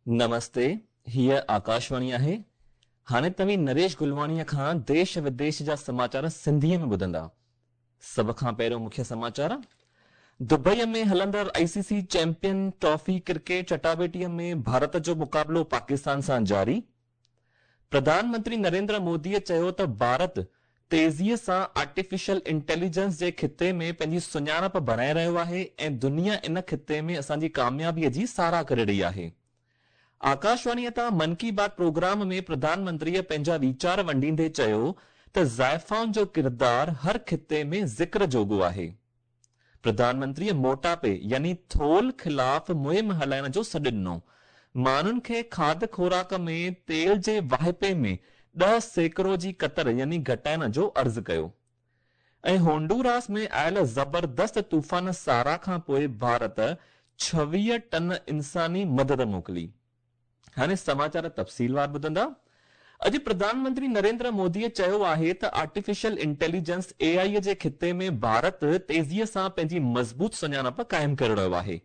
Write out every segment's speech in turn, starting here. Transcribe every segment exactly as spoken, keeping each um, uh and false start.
نمستي، هيء آڪاشواڻي آهي. هاڻي توهين نريش گلواڻيء کان ديش وديش جا سماچار سنڌيء ۾ ٻڌندا. سڀ کان پهريون مکيه سماچار، دبئيء ۾ هلندڙ I C C champion trophy cricket چٽاڀيٽيء ۾ Bharat جو مقابلو پاڪستان سان جاري. پرڌان منتري نريندر موديء چيو ته ڀارت تيزيء سان آرٽيفيشل انٽيليجنس جي خطي ۾ پنهنجي سڃاڻپ بڻائي رهيو آهي ۽ دنيا ان خطي ۾ اسان جي ڪاميابيء جي ساراهه ڪري رهي آهي. آڪاشواڻيء تان من ڪي بات پروگرام ۾ پرڌان منتريء پنهنجا ويچار ونڊيندي چيو ته زائفائن جو ڪردار هر خطي ۾ ذڪر جوڳو آهي. پرڌان منتريء موٽاپي يعني ٿولهه خلاف مهم هلائڻ جو سڏ ڏنو. ماڻهن کي کاڌ خوراڪ ۾ تيل جي واهپي ۾ ڏهه سيڪڙو جي ڪتر يعني گهٽائڻ جو عرض ڪيو. ۽ هونڊوراس ۾ آيل زبردست طوفان سارا کان پوء ڀارت ڇويهه ٽن انساني مدد موڪلي. هاڻي سماچار تفصيلوار ٻڌندا. اڄ پرڌان منتري نريندر موديء چيو آهي ته آرٽيفيشل انٽيليجنس، اي آء، جي خطي ۾ ڀارت تيزيء سان پنهنجي مضبوط سڃاڻپ قائم ڪري رهيو آهي.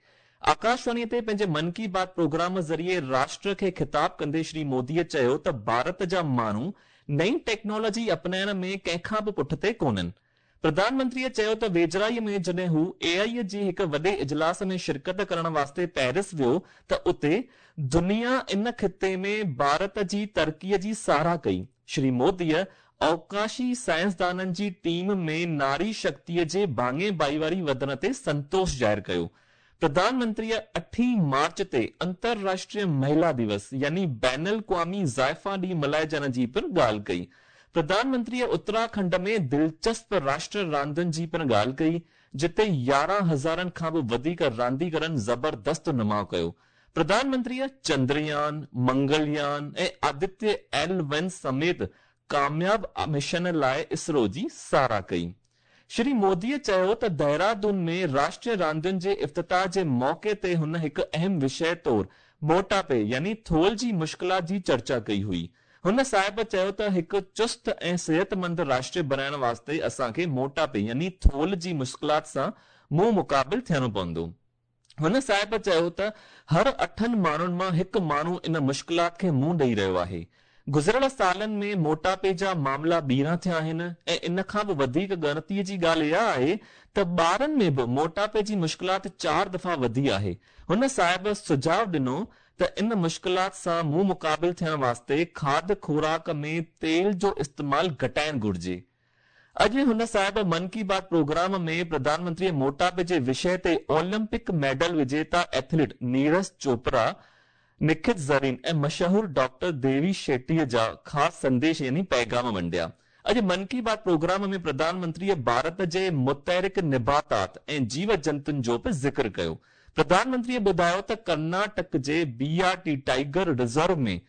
آڪاشواڻيء تي پنهنجي من ڪي بات پروگرام ذريعي راشٽر کي خطاب ڪندي شري موديء چيو ته ڀارت جا ماڻهو نئين ٽيڪنالاجي اپنائڻ ۾ ڪنهن کان به پٺتي ڪونهن. پرڌان منتريء چيو ته ويجهڙائيء ۾ جڏهن هو اي آء جي هڪ وڏي اجلاس ۾ شرڪت ڪرڻ واسطي پيرس ويو ته اتي دنيا ان خطي ۾ ڀارت جي ترقيء جي ساراهه ڪئي. شري موديء اوڪاشي سائنسدانن جي ٽيم ۾ ناري شڪتيء جي ڀاڱي ڀائيواري وڌڻ تي سنتوش ظاهر ڪيو. پرڌان منتريء اٺين مارچ تي انترراشٽريه مهلا ديوس يعني بين الاقوامي زائفا ڏينهن ملهائجڻ جي پڻ ڳالهه ڪئي. پرڌان منتريء اتراکنڊ ۾ دلچسپ راشٽر راندن جي پڻ ڳالهه ڪئي، جتي يارهن هزارن کان به وڌيڪ رانديگرن زبردست نماء ڪيو. پرڌان منتريء چندريان، منگليان ۽ آدتيه ايل ون سميت ڪامياب مشن لاء اسرو جي ساراهه ڪئي. شري موديء چيو ته دهرادون ۾ راشٽريه راندين جي افتتاح جي موقعي تي هن هڪ اهم وشيه طور موٽاپي يعني ٿولهه جي مشڪلات جي چرچا ڪئي هئي. هن صاحب چيو ته هڪ چست ۽ صحتمند راشٽر بڻائڻ واسطي اسان کي موٽاپي يعني ٿولهه جي مشڪلات سان منهن مقابل ٿيڻو پوندو. هن صاحب چيو ته هر اٺن ماڻهن مان هڪ ماڻهو ان مشڪلات کي منهن ڏئي رهيو آهي. گذريل سالن ۾ موٽاپي جا معاملا ٻيڻا ٿيا آهن ۽ ان کان به وڌيڪ ڳڻتيء جي ڳالهه اها آهي ته ٻارن ۾ به موٽاپي جي مشڪلات چار دفعا وڌي آهي. هن صاحب سجهاء ڏنو ته ان مشڪلات سان منهن مقابل ٿيڻ واسطي کاڌ خوراڪ ۾ تيل جو استعمال گهٽائڻ گهرجي. اڄ هن صاحب من ڪي بات پروگرام ۾ پرڌان منتريء موٽاپي جي وشيه تي اولمپڪ ميڊل وجيتا ايٿليٽ نيرج چوپڙا، نکت زرين ۽ مشهور ڊاڪٽر ديوي شيٽيء جا خاص سنديش يعني پيغام ونڊيا. اڄ من ڪي بات پروگرام ۾ پرڌان منتريء ڀارت جي متحرڪ نباتات ۽ جيو جنتن جو به ذڪر ڪيو. پرڌان منتريء ٻڌايو ته ڪرناٽڪ جي B R T tiger reserve ۾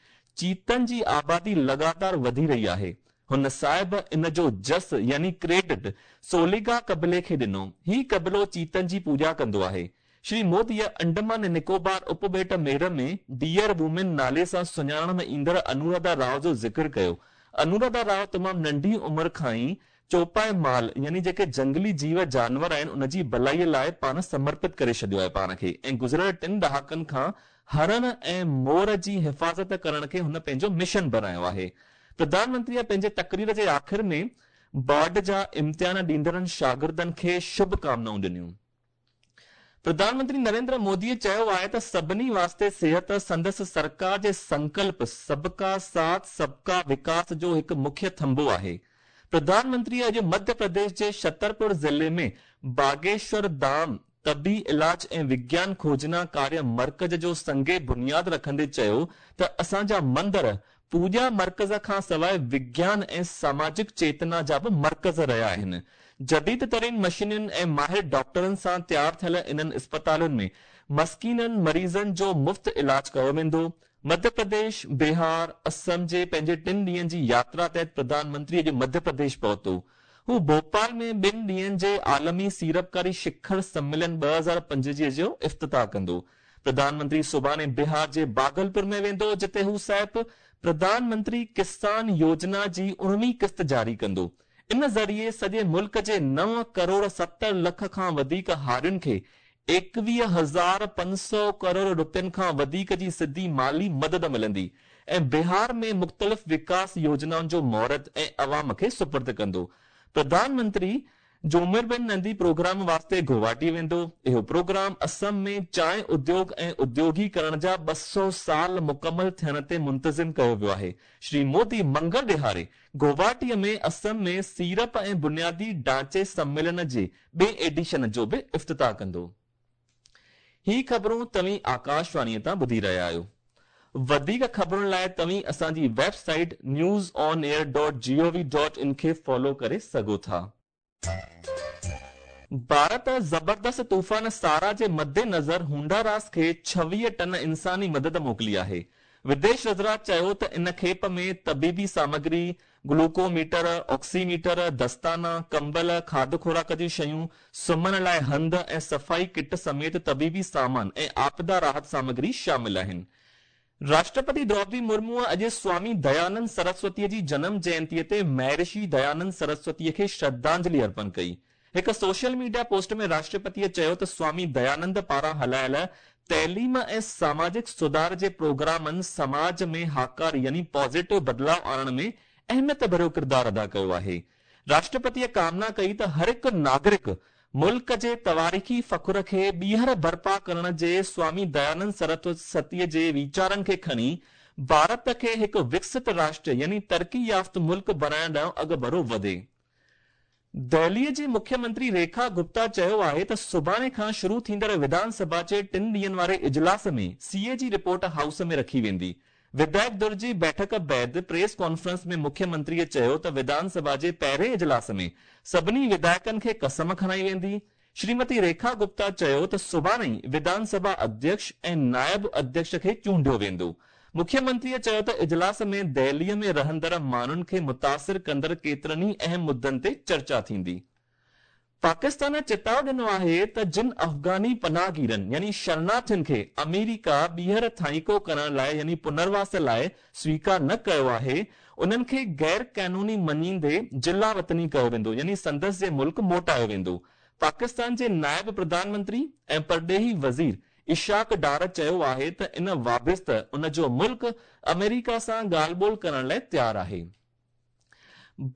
چيتن جي آبادي لڳاتار وڌي رهي آهي. هن صاحب ان جو جس يعني ڪريڊٽ سوليگا قبيلي کي ڏنو. هي قبيلو چيتن جي پوڄا ڪندو آهي. شري موديء انڊمان ۽ نڪوبار اپٻيٽ ميڙ ۾ ڊيئر وومين نالي سان سڃاڻڻ ۾ ايندڙ انوراڌا راء جو ذڪر ڪيو. انوراڌا راء تمام ننڍي عمر کان ئي چوپائي مال يعني جيڪي جهنگلي جيو جانور آهن ان جي ڀلائيء لاء پاڻ سمرپت ڪري ڇڏيو آهي پاڻ کي ۽ گذريل ٽن ڏهاڪن کان هرڻ ۽ مور جي حفاظت ڪرڻ کي هن پنهنجو مشن بڻايو آهي. پرڌان منتريء پنهنجي تقرير جي آخر ۾ بورڊ جا امتحان ڏيندڙن شاگردن کي شڀ ڪامنائون ڏنيون. پرڌان منتري نريندر موديء چيو آهي ته سڀني واسطي صحت سندس سرڪار جي سنڪلپ سبڪا ساٿ سبڪا وڪاس جو هڪ مکيه ٿنڀو آهي. پرڌان منتريء اڄ مڌيه پرديش جي ڇترپور ضلعي ۾ باگيشور ڌام طبي علاج ۽ وگيان کوجنا ڪاريه مرڪز جو سنگ بنياد رکندي چيو ته اسان جا مندر پوڄا مرڪز کان سواء وگيان ۽ ساماجڪ چيتنا جا به مرڪز رهيا آهن. جديد ترين مشينن ۽ ماهر ڊاڪٽرن سان تيار ٿيل انهن اسپتالن ۾ مسڪينن مريضن جو مفت علاج ڪيو ويندو. مڌيه پرديش، بهار، اسم جي پنهنجي ٽن ڏينهن جي ياترا تحت پرڌان منتري اڄ مڌيه پرديش پهتو. هو ڀوپال ۾ ٻن ڏينهن جي عالمي سيڙپڪاري شکر سميلن ٻه هزار پنجويهه جو افتتاح ڪندو. پرڌان منتري سڀاڻي بهار جي باگلپور ۾ ويندو، جتي هو صاحب پرڌان منتري ڪسان يوجنا جي اڻويهين قسط جاري ڪندو. ان ذريعي سڄي ملڪ جي نو ڪروڙ ستر لک کان وڌيڪ هارين کي ايڪويهه هزار پنج سؤ ڪروڙ رپين کان وڌيڪ جي سڌي مالي مدد ملندي ۽ بهار ۾ مختلف وڪاس يوجنائن جو مهورت ۽ عوام کي سپرد ڪندو. پرڌان منتري جومربن نندي پروگرام واسطي گوهاٽي ويندو. اهو پروگرام اسم ۾ چانهه اديوگ ۽ اديوگيڪرڻ جا ٻه سؤ سال مڪمل ٿيڻ تي منتظم ڪيو ويو آهي. شري مودي منگل ڏهاڙي گوهاٽيء ۾ اسم ۾ سيڙپ ۽ بنيادي ڍانچي سميلن جي ٻئي ايڊيشن جو به افتتاح ڪندو. هي خبرون توهين آڪاشواڻيء تان ٻڌي رهيا آهيو. وڌيڪ خبرن لاءِ توهين اسان جي website news on air dot G O V dot in کي فالو ڪري سگهو ٿا. ڀارت زبردست طوفان سارا جي مدنظر هونڊاراس کي ڇويهه ٽن انساني مدد موڪلي آهي. وديش وزارت چيو ته ان کيپ ۾ طبيبي سامگري، گلوڪوميٽر، آڪسيميٽر، دستانا، ڪمبل، کاڌ خوراڪ جون شيون، سمهڻ لاءِ هنڌ ۽ صفائي ڪٽ سميت طبيبي سامان ۽ آپدا راحت سامگري شامل آهن. راشٽرپتي دروپدي مرموءَ اڄ سوامي ديانند سرسوتيءَ جي جنم جينتيءَ تي مهرشي ديانند سرسوتيءَ کي شرڌانجلي ارپڻ ڪئي. هڪ سوشل ميڊيا پوسٽ ۾ راشٽرپتيءَ چيو ته سوامي ديانند پاران هلايل تعليم ۽ ساماجڪ سڌار جي پروگرامن سماج ۾ هاڪاري يعني پازيٽو بدلاءُ آڻڻ ۾ اهميت ڀريو ڪردار ادا ڪيو آهي. راشٽرپتيءَ ڪامنا ڪئي ته هر هڪ ناگرڪ ملڪ جي تواريخي فخر کي ٻيهر برپا ڪرڻ جي سوامي ديانند سرسوتيءَ جي ويچارن کي کڻي ڀارت کي هڪ وڪست راشٽر يعني ترقي يافته ملڪ بڻائڻ ڏانهن اڳڀرو وڌي. دهليءَ جي مکيه منتري ريکا گپتا چيو آهي ته سڀاڻي کان شروع ٿيندڙ وڌان سڀا جي ٽن ڏينهن واري اجلاس ۾ سي اي جي رپورٽ هائوس ۾ رکي ويندي. وڌايڪ ڌر جي بيٺڪ بعد پريس ڪانفرنس ۾ مکيه منتريءَ چيو ته وڌان سڀا جي پهرين اجلاس ۾ سڀني وڌايڪن کي قسم کڻائي ويندي. شريمتي ريکا گپتا چيو ته سڀاڻي ئي وڌان سڀا اڌيڪش ۽ نائب اڌيڪش کي چونڊيو ويندو. مکيه منتريءَ چيو ته اجلاس ۾ دهليءَ ۾ رهندڙ ماڻهن کي متاثر ڪندڙ ڪيترن ئي اهم مدعن تي چرچا ٿيندي. پاڪستان چتاءُ ڏنو آهي ته جن افغاني پناهگيرن يعني شرناٿين کي آمريڪا ٻيهر ٿائيڪو ڪرڻ لاءِ يعني پنرواس لاءِ سويڪار نه ڪيو آهي، انهن کي غير قانوني مڃيندي جلا وطني ڪيو ويندو يعني سندس جي ملڪ موٽايو ويندو. پاڪستان جي نائب پرڌان منتري ۽ پرڏيهي وزير اشاق ڊار چيو آهي ته ان وابسته ان جو ملڪ آمريڪا سان ڳالهه ٻولهه ڪرڻ لاءِ تيار آهي.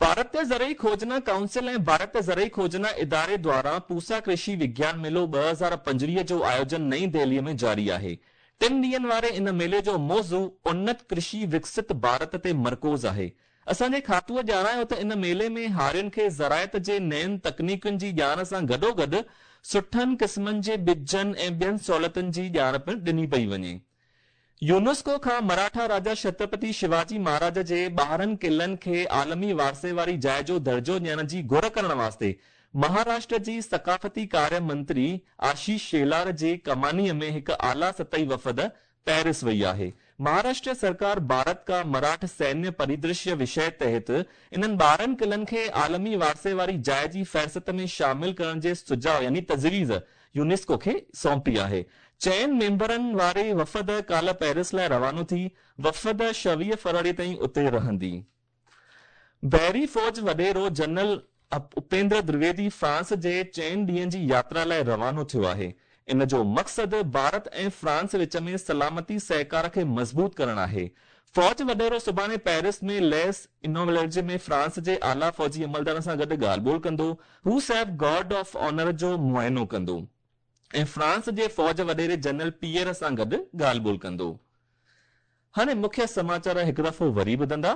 ڀارتيه زرعي کوجنا ڪائونسل ۽ ڀارتيه زرعي کوجنا اداري دواران پوسا ڪرشي وگيان ميلو ٻه هزار پنجويهه جو آيوجن نئين دهليءَ ۾ جاري آهي. ٽن ڏينهن واري ان ميلي جو موضوع انت ڪرشي وڪست ڀارت تي مرڪوز آهي. اسان جي کاتوءَ ڄاڻايو ته ان ميلي ۾ هارين کي زراعت جي نين تڪنيڪن جي ڄاڻ سان گڏوگڏ سٺن قسمن جي ٻجن ۽ ٻين سهولتن جي ڄاڻ پڻ ڏني پئي وڃي. يونيسڪو کان مراٺا راجا ڇترپتي شيواجي مهاراج جي ٻارهن قلعن کي عالمي وارثي واري جاءِ جو درجو ڏيڻ جي گهر ڪرڻ واسطي مهاراشٽر جي ثقافتي ڪاريه منتري آشيش شيلار جي ڪمانيءَ ۾ هڪ اعليٰ سطحي وفد پيرس وئي آهي. مهاراشٽر سرڪار ڀارت ڪا مراٺ سينيه پريدرشيه وشيه تحت انهن ٻارهن قلعن کي عالمي وارثي واري جاءِ جي فهرست ۾ شامل ڪرڻ جي سجهاءُ يعني تجويز يونيسڪو کي سونپي آهي. چئن ميمبرن واري وفد ڪالهه پيرس لاءِ روانو ٿي. وفد ڇويهه فروري تائين اتي رهندي. بحري فوج وڏيرو جنرل اپيندر دويدي فرانس جي چئن ڏينهن جي ياترا لاءِ روانو ٿيو آهي. ان جو مقصد ڀارت ۽ فرانس وچ ۾ سلامتي سهڪار کي مضبوط ڪرڻ آهي. فوج وڏيرو سڀاڻي پيرس ۾ ليس انوويلرج ۾ فرانس جي اعليٰ فوجي عملدارن سان گڏ ڳالهه ٻولهه ڪندو. هو صاحب گارڊ آف آنر جو معائنو ڪندو ۽ فرانس جي فوج وڏيري جنرل پيئر سان گڏ ڳالهه ٻولهه ڪندو. هاڻي مکيه سماچار هڪ دفعو وري ٻڌندا.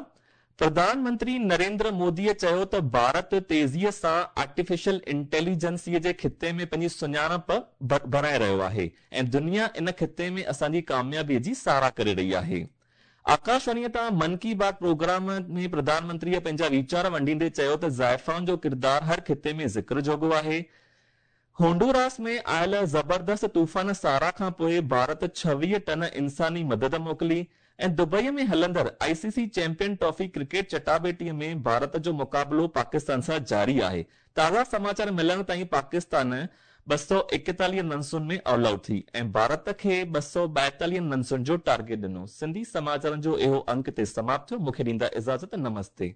پرڌان منتري نريندر موديءَ چيو ته ڀارت تيزيءَ سان آرٽيفيشل انٽيليجنسيءَ جي خطي ۾ پنهنجي سڃاڻپ بڻائي رهيو آهي ۽ دنيا ان خطي ۾ اسان جي ڪاميابيءَ جي ساراهه ڪري رهي آهي. آڪاشواڻيءَ تان من ڪي بات پروگرام ۾ پرڌان منتريءَ پنهنجا ويچار ونڊيندي چيو ته زائفائن جو ڪردار هر خطي ۾ ذڪر جوڳو آهي. هونڊوراس ۾ آيل زبردست طوفان سارا کان پوءِ ڀارت ڇويهه ٽن انساني مدد موڪلي ۽ دبئيءَ ۾ هلندڙ I C C champion trophy cricket چٽاڀيٽيءَ ۾ Bharat جو مقابلو پاڪستان سان جاري آهي. تازا سماچار ملڻ تائين پاڪستان ٻه سؤ ايڪيتاليهه رنسن ۾ آل آئوٽ ٿي ۽ ڀارت کي ٻه سؤ ٻائيتاليهه رنسن جو ٽارگيٽ ڏنو. سنڌي سماچارن جو اهو انڪ تي سماپت ٿيو. مون کي ڏيندا اجازت. نمستي.